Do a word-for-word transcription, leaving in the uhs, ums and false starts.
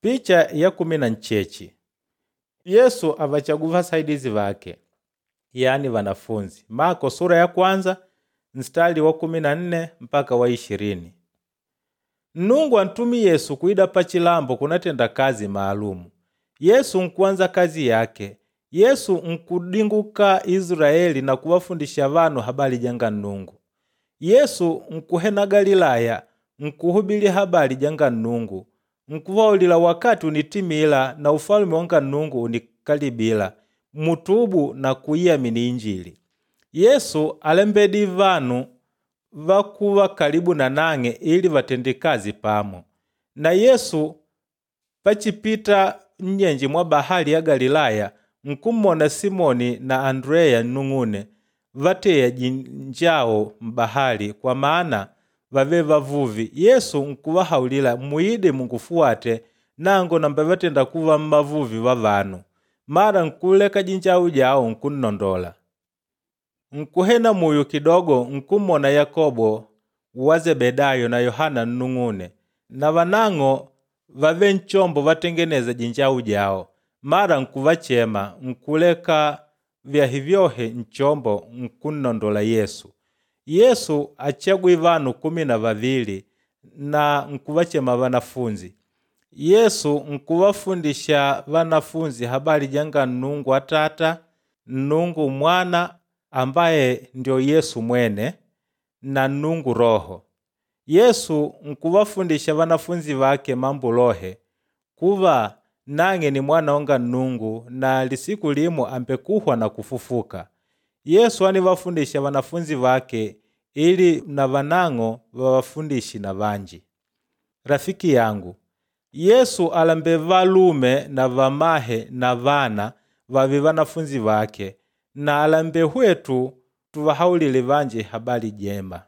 Picha ya kumi na ncheche Yesu avachagu vasaidizi vake yani vanafunzi. Mako sura ya kwanza nstari wa kumi na nne mpaka wa ishirini. Nnungu antumi Yesu kuida pachilambo kunatenda kazi maalumu. Yesu nkuanza kazi yake. Yesu nkudinguka Israeli na kuwafundisha vanu habari janga Nnungu. Yesu nkuhena Galilaya nkuhubili habari janga Nnungu nkuvaulila wakati unitimila na ufalume wanga Nnungu unikalibila mutubu na kuiamini Injili. Yesu alembedi vanu vakuva kalibu na nang'e ili vatende kazi pamo. Na Yesu pachipita nnyenje mwa bahali ya Galilaya nkummona Simoni na Andreya nnung'une vateya jinjawo m'bahali kwa maana vave vavuvi. Yesu nkuvahaulila muide mungufuwate nangu nambevatenda kuva mmavuvi va vanu. Mara nkuleka jinjawu jawo nkunnondola. Nkuhena muyu kidogo nkummona Yakobo wa Zebedayo na Yohana nnung'une na vanang'o vave nchombo vatengeneza jinjawu jawo. Mara nkuvachema nkuleka vyahi vyohe nchombo nkunnondola Yesu. Yesu achagwi vanu kumi na vavili na nkuvachema vanafunzi. Yesu nkuvafundisha vanafunzi habari janga Nnungu Atata, Nnungu Mwana ambaye ndio Yesu mwene na Nnungu Roho. Yesu nkuvafundisha vanafunzi vake mambo lohe kuva nang'e ni mwana wanga Nnungu na lisiku limo ambekuhwa na kufufuka. Yesu anivafundisha vanafunzi vake ili na vanang'o vavafundishi na vanji. Rafiki yangu, Yesu alambe valume na vamahe na vana vave vanafunzi vake na alambe hwetu tuvahaulile vanji habari jema.